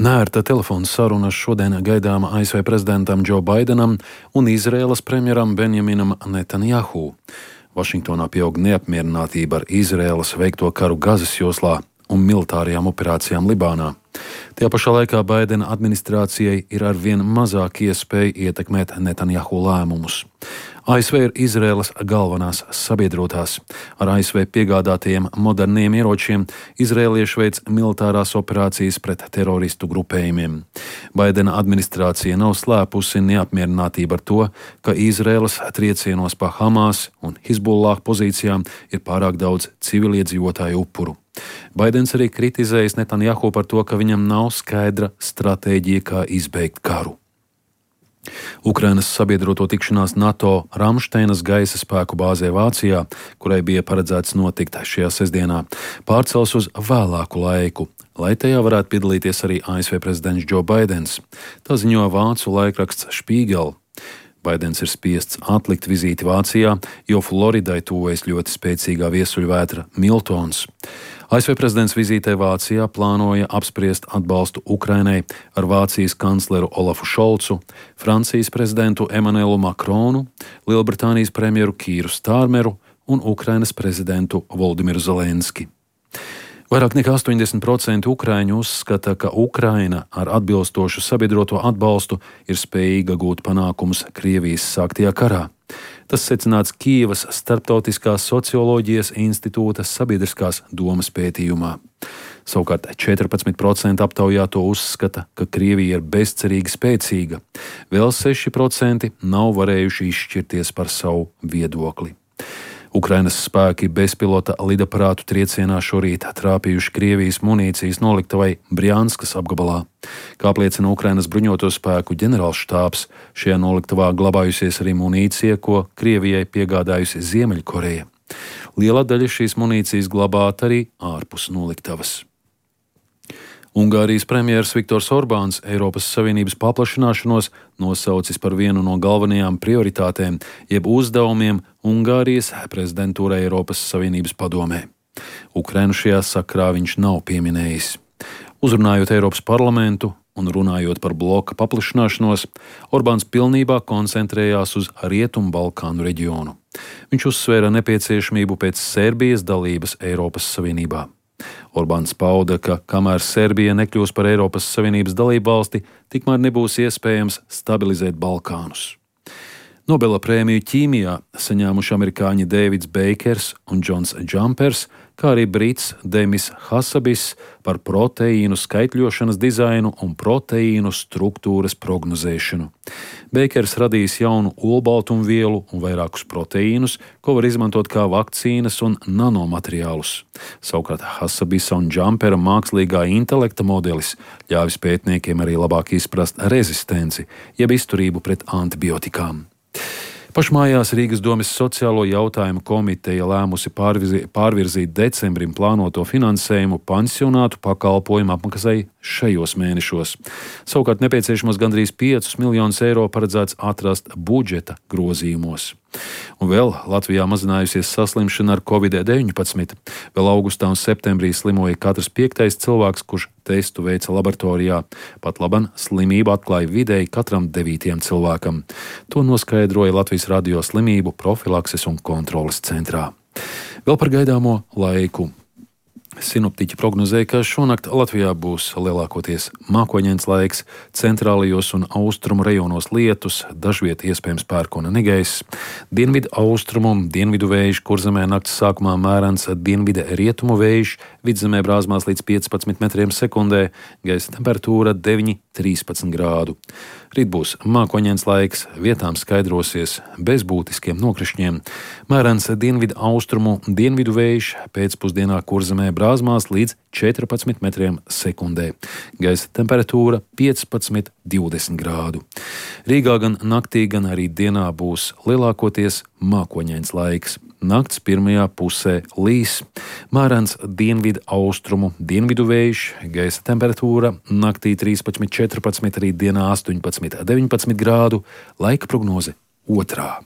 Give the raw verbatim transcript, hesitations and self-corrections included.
Nērta telefona saruna šodien gaidāma A S V prezidentam Džo Baidenam un Izraēlas premjeram Benjaminam Netanjahu. Vašingtonā pieaug neapmierinātība ar Izraēlas veikto karu Gazas joslā un militārajām operācijām Libānā. Tajā pašā laikā Baidena administrācijai ir arvien mazāk iespēja ietekmēt Netanjahu lēmumus. A S V ir Izraēlas galvenās sabiedrotās. Ar A S V piegādātajiem moderniem ieročiem izraēlieši veic militārās operācijas pret teroristu grupējumiem. Baidena administrācija nav slēpusi neapmierinātību ar to, ka Izraēlas triecienos pa Hamas un Hizbullah pozīcijām ir pārāk daudz civiliedzīvotāju upuru. Baidens arī kritizējis Netanjahu par to, ka viņam nav skaidra stratēģija, kā izbeigt karu. Ukrainas sabiedroto tikšanās NATO Ramšteinas gaisa spēku bāzē Vācijā, kurai bija paredzēts notikt šajā sestdienā, pārcels uz vēlāku laiku, lai tajā varētu piedalīties arī A S V prezidents Džo Baidens. Tā ziņo vācu laikraksts Spiegel. Baidens ir spiests atlikt vizīti Vācijā, jo Floridai tuvojas ļoti spēcīgā viesuļvētra Miltons. A S V prezidents vizītē Vācijā plānoja apspriest atbalstu Ukrainai ar Vācijas kancleru Olafu Šolcu, Francijas prezidentu Emanuelu Makronu, Lielbritānijas premjeru Kīru Stārmeru un Ukrainas prezidentu Voldimiru Zelenski. Vairāk nekā astoņdesmit procenti ukrāņu uzskata, ka Ukraina ar atbilstošu sabiedroto atbalstu ir spējīga gūt panākumus Krievijas sāktajā karā. Tas secināts Kijevas Starptautiskās socioloģijas institūta sabiedriskās domas pētījumā. Savukārt četrpadsmit procenti aptaujāto uzskata, ka Krievija ir bezcerīgi spēcīga. Vēl seši procenti nav varējuši izšķirties par savu viedokli. Ukrainas spēki bezpilota lidaparātu triecienā šorīt trāpījuši Krievijas munīcijas noliktavai Brjanskas apgabalā. Kā apliecina Ukrainas bruņoto spēku ģenerālštābs, šajā noliktavā glabājusies arī munīcija, ko Krievijai piegādājusi Ziemeļkoreja. Liela daļa šīs munīcijas glabāta arī ārpus noliktavas. Ungārijas premjers Viktors Orbāns Eiropas Savienības paplašināšanos nosaucis par vienu no galvenajām prioritātēm, jeb uzdevumiem Ungārijas prezidentūrai Eiropas Savienības padomē. Ukrainu šajā sakrā viņš nav pieminējis. Uzrunājot Eiropas parlamentu un runājot par bloka paplašināšanos, Orbāns pilnībā koncentrējās uz Rietumu Balkānu reģionu. Viņš uzsvēra nepieciešamību pēc Serbijas dalības Eiropas Savienībā. Orbāns pauda, ka kamēr Serbija nekļūs par Eiropas Savienības dalību valsti, tikmēr nebūs iespējams stabilizēt Balkānus. Nobela prēmiju ķīmijā saņēmuši amerikāņi Dēvids Beikers un Džons Džampers, kā arī brits Demis Hasabis par proteīnu skaitļošanas dizainu un proteīnu struktūras prognozēšanu. Beikers radījis jaunu olbaltumvielu un vairākus proteīnus, ko var izmantot kā vakcīnas un nanomateriālus. Savukārt Hasabisa un Džampera mākslīgā intelekta modelis ļāvis pētniekiem arī labāk izprast rezistenci, jeb izturību pret antibiotikām. Pašmājās Rīgas domes sociālo jautājumu komiteja lēmusi pārvirzīt, pārvirzīt decembrim plānoto finansējumu pansionātu pakalpojumu apmaksai šajos mēnešos. Savukārt nepieciešamos gandrīz piecus miljonus eiro paredzēts atrast budžeta grozījumos. Un vēl Latvijā mazinājusies saslimšana ar covid deviņpadsmit. Vēl augustā un septembrī slimoja katrs piektais cilvēks, kurš testu veica laboratorijā. Pat laban slimību atklāja vidēji katram devītajam cilvēkam. To noskaidroja Latvijas radio slimību profilakses un kontroles centrā. Vēl par gaidāmo laiku. Sinoptiķi prognozēja, ka šonakt Latvijā būs lielākoties mākoņains laiks, centrālajos un austrumu rajonos lietus, dažviet iespējams pērkona negaiss. Dienvidu austrumu, dienvidu vējš, Kurzemē nakts sākumā mērens dienvidu rietumu vējš, vidzemē brāzmās līdz piecpadsmit metriem sekundē, gaisa temperatūra deviņi līdz trīspadsmit grādu. Rīt būs mākoņains laiks, vietām skaidrosies bez būtiskiem nokrišņiem. Mērens dienvidu austrumu, dienvidu vējš, pēcpusdienā Kurzemē brāzmās līdz četrpadsmit metriem sekundē. Gaisa temperatūra piecpadsmit līdz divdesmit grādu. Rīgā gan naktī, gan arī dienā būs lielākoties mākoņains laiks. Nakts pirmajā pusē līs, mērens dienvidu austrumu, dienvidu vējš, gaisa temperatūra naktī trīspadsmit līdz četrpadsmit, arī dienā astoņpadsmit līdz deviņpadsmit grādu, laika prognoze otrā.